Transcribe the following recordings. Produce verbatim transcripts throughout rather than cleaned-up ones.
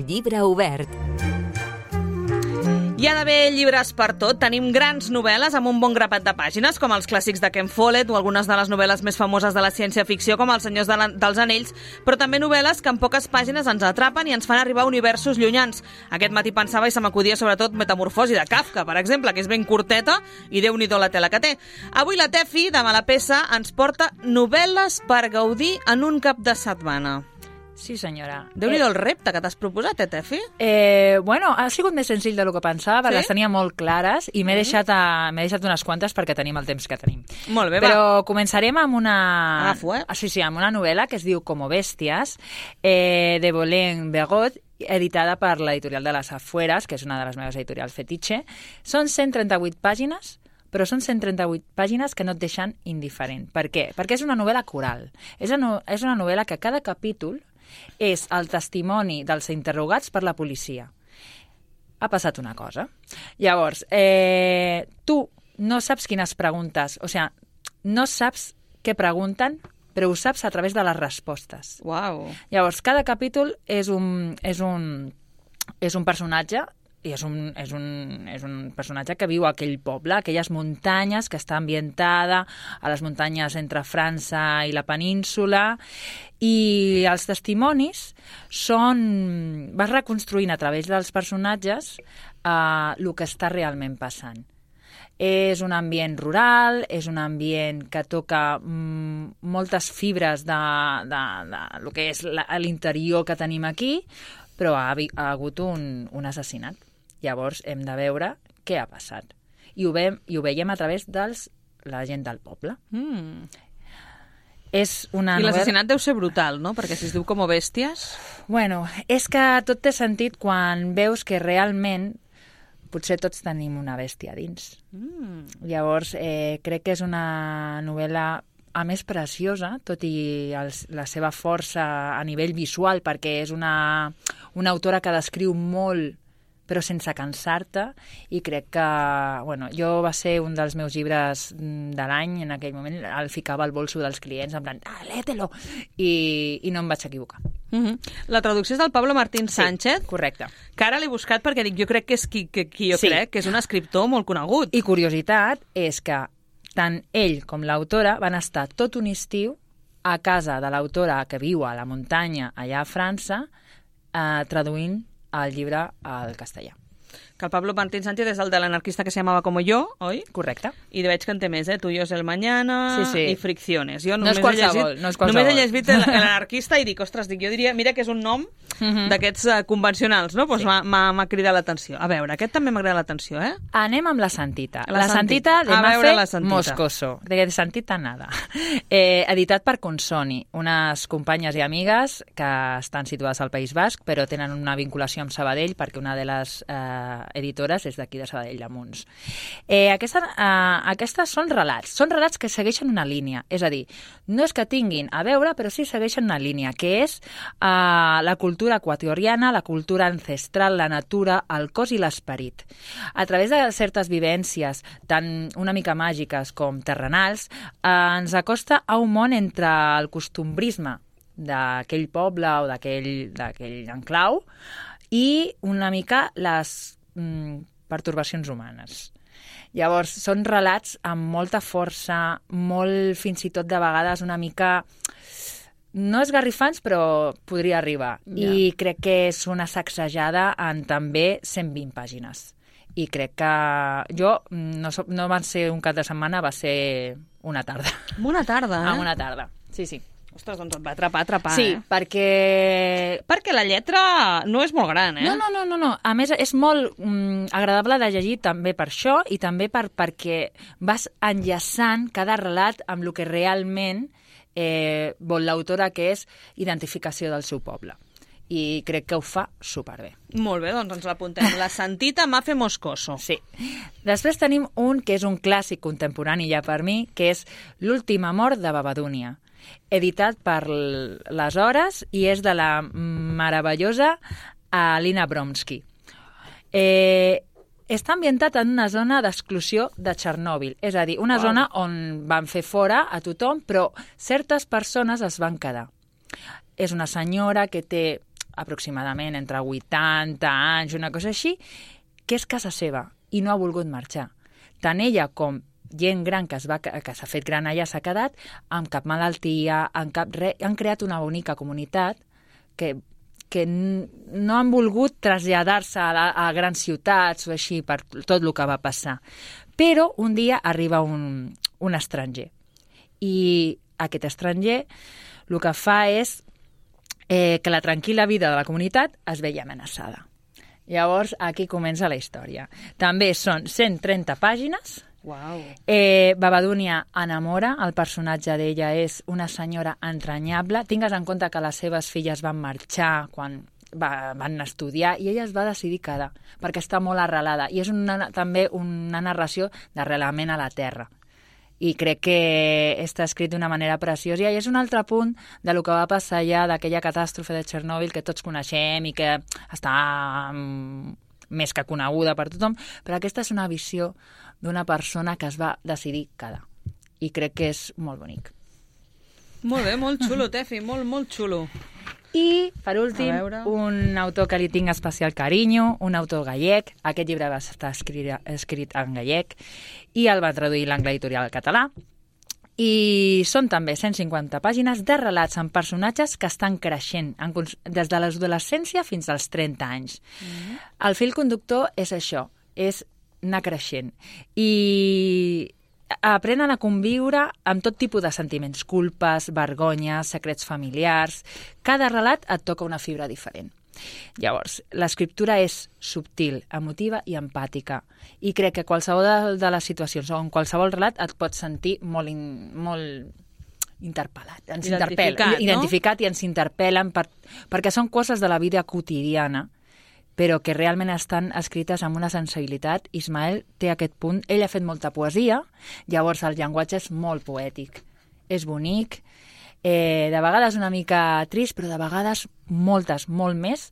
Llibre obert. Hi ha d'haver llibres per tot. Tenim grans novel·les amb un bon grapat de pàgines, com els clàssics de Ken Follett o algunes de les novel·les més famoses de la ciència-ficció, com Els senyors de la, dels anells, però també novel·les que en poques pàgines ens atrapen i ens fan arribar a universos llunyans. Aquest matí pensava i se m'acudia sobretot Metamorfosi de Kafka, per exemple, que és ben curteta i déu-n'hi-do la tela que té. Avui la Tefi, de Malapesa, ens porta novel·les per gaudir en un cap de setmana. Sí, senyora. Déu-n'hi-do el repte que t'has proposat, eh, Tefi? Eh, bueno, ha sigut més senzill del que pensava, perquè Sí? les tenia molt clares i m'he deixat, a, m'he deixat unes quantes perquè tenim el temps que tenim. Molt bé, Però va. començarem amb una... Agafo, eh? Sí, sí, amb una novel·la que es diu Como bèsties, eh, de Bolén Begot, editada per l'editorial de les Afueres, que és una de les meves editorials fetitxe. Són cent trenta-vuit pàgines, però són cent trenta-vuit pàgines que no et deixen indiferent. Per què? Perquè és una novel·la coral. És una, és una novel·la que cada capítol és el testimoni dels interrogats per la policia. Ha passat una cosa. Llavors, eh, tu no saps quines preguntes, o sigui, no saps què pregunten, però ho saps a través de les respostes. Uau. Llavors, cada capítol és un, és un, és un personatge i és un, és, un, és un personatge que viu a aquell poble, aquelles muntanyes, que està ambientada a les muntanyes entre França i la península, i els testimonis són... vas reconstruint a través dels personatges eh, el que està realment passant. És un ambient rural, és un ambient que toca mm, moltes fibres de, de, de lo que és la, l'interior que tenim aquí, però ha, ha hagut un, un assassinat. Llavors hem de veure què ha passat. I ho, ve, i ho veiem a través de la gent del poble. Mm. És una I novel·la... l'assassinat deu ser brutal, no? Perquè si es diu Como bèsties... Bueno, és que tot té sentit quan veus que realment potser tots tenim una bèstia dins. Mm. Llavors, eh, crec que és una novel·la a més preciosa, tot i els, la seva força a nivell visual, perquè és una, una autora que descriu molt, però sense cansar-te, i crec que, bueno, jo va ser un dels meus llibres de l'any, en aquell moment el ficava al bolso dels clients, en plan, ah, lée-te-lo, i, i no em vaig equivocar. Mm-hmm. La traducció és del Pablo Martín Sánchez, Sí, correcte. que ara l'he buscat perquè dic, jo crec que és qui, que, qui jo Sí. crec, que és un escriptor molt conegut. I curiositat és que tant ell com l'autora van estar tot un estiu a casa de l'autora que viu a la muntanya allà a França, eh, traduint el llibre al castellà. Que el Pablo Martín Sánchez és el de l'anarquista que se llamava Como yo, oi? Correcte. I veig que en té més, eh? Tuyo es el mañana Sí, sí. i Fricciones. Jo No només és qualsevol, he llegit, no és qualsevol. Només he llegit l'anarquista i dic, ostres, dic, jo diria, mira que és un nom Mhm. d'aquests uh, convencionals, no? Pues Sí. m'ha- m'ha m'ha cridat l'atenció. A veure, aquest també m'ha cridat l'atenció, eh? Anem amb la Santita. La La, Santita. Santita de A veure la Mafe Santita. Moscoso. De Santita nada. Eh, editat per Consoni, unes companyes i amigues que estan situades al País Basc, però tenen una vinculació amb Sabadell, perquè una de les eh, editores és d'aquí de Sabadell, de Munts. Eh, aquesta, eh, aquestes són relats. Són relats que segueixen una línia. És a dir, no és que tinguin a veure, però sí segueixen una línia, que és eh, la cultura equatoriana, la cultura ancestral, la natura, el cos i l'esperit. A través de certes vivències, tant una mica màgiques com terrenals, eh, ens acosta a un món entre el costumbrisme d'aquell poble o d'aquell d'aquell enclau i una mica les mm, pertorbacions humanes. Llavors, són relats amb molta força, molt, fins i tot de vegades, una mica... No esgarrifants, però podria arribar. Ja. I crec que és una sacsejada en també cent vint pàgines. I crec que jo, no, so, no va ser un cap de setmana, va ser una tarda. Una tarda, eh? Ah, una tarda, sí, sí. Ostres, doncs et va atrapar, atrapar, Sí, eh? perquè... Perquè la lletra no és molt gran, eh? No, no, no, no, no. A més, és molt mm, agradable de llegir també per això i també per, perquè vas enllaçant cada relat amb el que realment eh, vol l'autora, que és identificació del seu poble. I crec que ho fa superbé. Molt bé, doncs ens l'apuntem. La Santita Mafe Moscoso. Sí. Després tenim un que és un clàssic contemporani ja per mi, que és L'últim amor de Babadúnia, editat per les Hores i és de la meravellosa Alina Bromsky. Eh, està ambientat en una zona d'exclusió de Txernòbil, és a dir, una Wow. zona on van fer fora a tothom, però certes persones es van quedar. És una senyora que té aproximadament entre vuitanta anys, una cosa així, que és casa seva i no ha volgut marxar. Tant ella com gent gran que es va, que s'ha fet gran allà s'ha quedat, amb cap malaltia, amb cap res, han creat una bonica comunitat que, que no han volgut traslladar-se a, la, a grans ciutats o així per tot el que va passar. Però un dia arriba un, un estranger i aquest estranger el que fa és eh, que la tranquil·la vida de la comunitat es veia amenaçada. Llavors, aquí comença la història. També són cent trenta pàgines. Wow. Eh, Babadúnia enamora, el personatge d'ella és una senyora entranyable. Tingues en compte que les seves filles van marxar quan va, van estudiar i ella es va decidir quedar, perquè està molt arrelada. I és una, també una narració d'arrelament a la terra. I crec que està escrit d'una manera preciosa. I és un altre punt de lo que va passar allà, d'aquella catàstrofe de Txernòbil que tots coneixem i que està um, més que coneguda per tothom, però aquesta és una visió d'una persona que es va decidir quedar. I crec que és molt bonic. Molt bé, molt xulo, Tefi, molt, molt xulo. I, per últim, un autor que li tinc especial carinyo, un autor gallec. Aquest llibre va estar escrit, escrit en gallec i el va traduir l'Angle Editorial al català. I són també cent cinquanta pàgines de relats amb personatges que estan creixent en, des de l'adolescència fins als trenta anys. Mm. El fil conductor és això, és anar creixent. I aprenen a conviure amb tot tipus de sentiments, culpes, vergonyes, secrets familiars. Cada relat et toca una fibra diferent. Llavors, l'escriptura és subtil, emotiva i empàtica. I crec que qualsevol de, de les situacions o en qualsevol relat et pots sentir molt, in, molt interpel·lat. Ens identificat, no? Identificat i ens interpel·len per, perquè són coses de la vida quotidiana, però que realment estan escrites amb una sensibilitat. Ismael té aquest punt. Ell ha fet molta poesia, llavors el llenguatge és molt poètic. És bonic, eh, de vegades una mica trist, però de vegades moltes, molt més,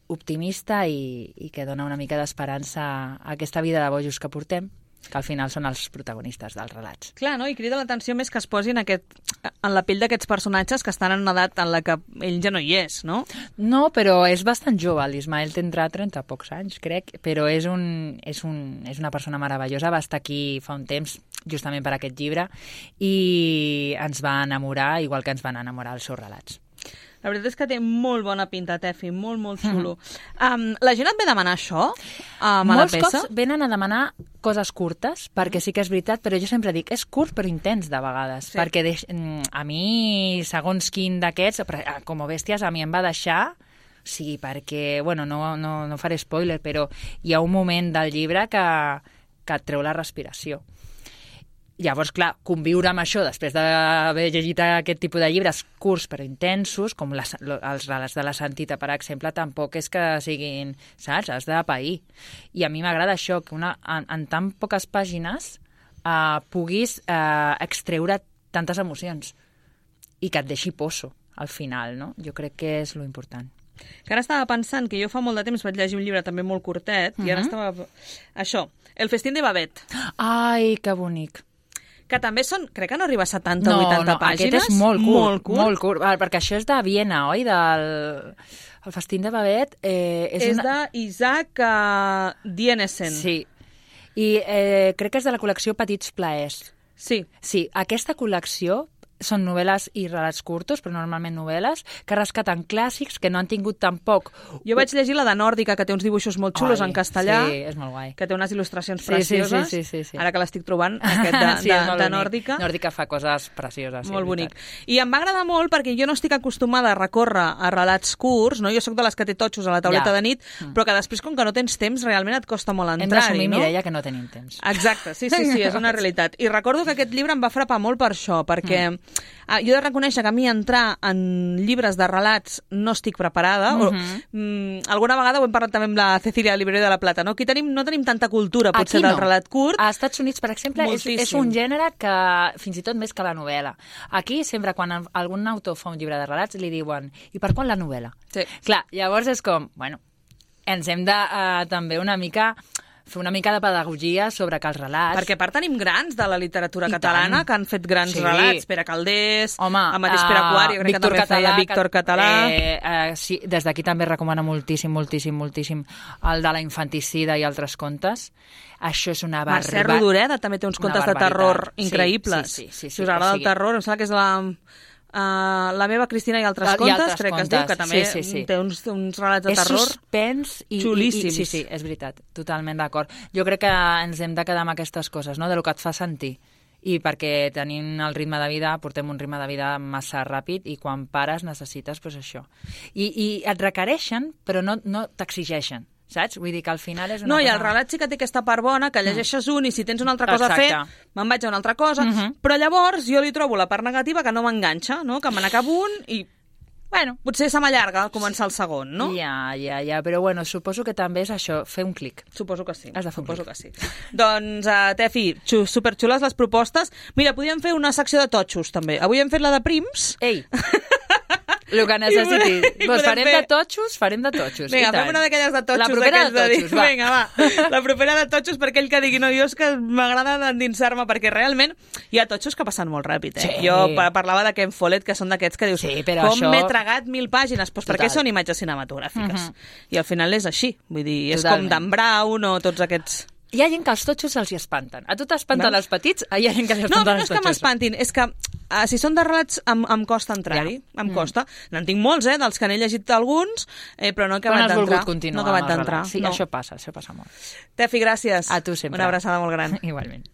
optimista i, i que dona una mica d'esperança a aquesta vida de bojos que portem, que al final són els protagonistes dels relats. Clar, no? I crida l'atenció més que es posin aquest, en la pell d'aquests personatges que estan en una edat en la que ell ja no hi és, no? No, però és bastant jove. L'Ismael tindrà trenta pocs anys, crec, però és, un, és, un, és una persona meravellosa. Va estar aquí fa un temps, justament per aquest llibre, i ens va enamorar, igual que ens van enamorar els seus relats. La veritat és que té molt bona pinta, Tefi, molt, molt xulo. Mm. Um, la gent et ve demanar això um, a la peça? Molts cops venen a demanar coses curtes, perquè sí que és veritat, però jo sempre dic, és curt però intens de vegades, sí. Perquè deix... a mi, segons quin d'aquests, com a bèsties, a mi em va deixar... Sí, perquè, bueno, no, no, no faré spoiler, però hi ha un moment del llibre que, que et treu la respiració. Llavors, clar, conviure amb això després d'haver llegit aquest tipus de llibres curts però intensos, com les, els relats de la Santita, per exemple, tampoc és que siguin, saps? Has de pair. I a mi m'agrada això, que una, en, en tan poques pàgines eh, puguis eh, extreure tantes emocions i que et deixi poso al final, no? Jo crec que és lo important. Que ara estava pensant que jo fa molt de temps vaig llegir un llibre també molt curtet, uh-huh. I ara estava... Això, El festín de Babet. Ai, que bonic. Que també són, crec que no arriba a setanta o vuitanta no, no, pàgines. Aquest és molt curt, molt curt. Molt curt, perquè això és de Viena, oi? Del... El festín de Babet... Eh, és és una... d'Isaac uh, Dienesen. Sí, i eh, crec que és de la col·lecció Petits Plaers. Sí. Sí, aquesta col·lecció són novel·les i relats curtos, però normalment novel·les, que rescaten clàssics que no han tingut tampoc... Jo vaig llegir la de Nòrdica, que té uns dibuixos molt xulos Ai, en castellà. Sí, és molt guai. Que té unes il·lustracions sí, precioses. Sí, sí, sí, sí. Ara que l'estic trobant, aquest de, sí, de, de, de Nòrdica. Nòrdica fa coses precioses. Sí, molt bonic. I em va agradar molt perquè jo no estic acostumada a recórrer a relats curts, no? Jo sóc de les que té totxos a la tauleta ja. de nit, però que després, com que no tens temps, realment et costa molt entrar-hi, no? Hem d'assumir, no? Mireia, que no tenim temps. Exacte, sí, sí, sí, és una realitat. I recordo que aquest llibre em va frapar molt per això, perquè mm. jo he de reconèixer que a mi entrar en llibres de relats no estic preparada. Mm-hmm. o, mm, alguna vegada ho hem parlat també amb la Cecília Libreria de la Plata, no? Aquí tenim, no tenim tanta cultura, potser, no. del relat curt. A Estats Units, per exemple, és, és un gènere que fins i tot més que la novel·la. Aquí, sempre quan algun autor fa un llibre de relats, li diuen, i per quan la novel·la? Sí. Clar, llavors és com, bueno, ens hem de uh, també una mica fer una mica de pedagogia sobre que els relats... Perquè a part tenim grans de la literatura I catalana tant. que han fet grans Sí. relats. Pere Calders, Home, el mateix Pere Quart, jo crec Víctor que també Català, feia Víctor Català. Eh, eh, sí, des d'aquí també recomano moltíssim, moltíssim, moltíssim el de la infanticida i altres contes. Això és una Mercè barbaritat. Rodoreda també té uns Una contes de barbaritat. terror Sí, increïbles. sí, sí, sí, sí, si us agrada o el sigui- terror, em sembla que és la... Uh, la meva Cristina i altres I contes, altres crec que es contes. diu, que també Sí, sí, sí. té uns, uns relats de És terror. suspens i, i, i... xulíssims. Sí, sí, és veritat, totalment d'acord. Jo crec que ens hem de quedar amb aquestes coses, no?, de lo que et fa sentir. I perquè tenim el ritme de vida, portem un ritme de vida massa ràpid i quan pares necessites pues, això. I, I et requereixen, però no, no t'exigeixen, saps? Vull dir que al final és una No, i cosa... el relat sí que té aquesta part bona, que llegeixes un i si tens una altra cosa Exacte. a fer, me'n vaig a una altra cosa, Uh -huh. però llavors jo li trobo la part negativa que no m'enganxa, no? Que me n'acabo un i, bueno, potser se m'allarga començar el segon, no? Ja, ja, ja, però bueno, suposo que també és això, fer un clic. Suposo que sí. Has de fer un Suposo clic. que sí. Doncs, uh, Tefi, xu, superxules les propostes. Mira, podríem fer una secció de totxos, també. Avui hem fet la de prims. Ei, el que necessitis. I podem Doncs farem fer- de totxos, farem de totxos. Vinga, i tant. fem una d'aquelles de totxos. La propera de d'aquells totxos, dir, va. Vinga, va. La propera de totxos per aquell que digui, no, jo és que m'agrada endinsar-me, perquè realment hi ha totxos que passen molt ràpid, eh? Sí. Jo pa- parlava de Ken Follett, que són d'aquests que dius, Sí, però com això- m'he tragat mil pàgines? Doncs perquè Total. són imatges cinematogràfiques. Mhm. I al final és així. Vull dir, és Totalment. com Dan Brown o tots aquests... Hi ha gent que els totxos se'ls hi espanten. A tu t'espanten Veus? els petits, hi ha gent que li No, espanten però no els és que totxos. m'espantin, és que uh, si són de relats em, em costa entrar-hi, Ja. em Mm. costa. N'en tinc molts, eh, dels que n'he llegit alguns, eh, però no he Quan acabat has d'entrar. volgut continuar No he acabat amb els d'entrar. relats. Sí, no. això passa, això passa molt. Tefi, gràcies. A tu sempre. Una abraçada molt gran. Igualment.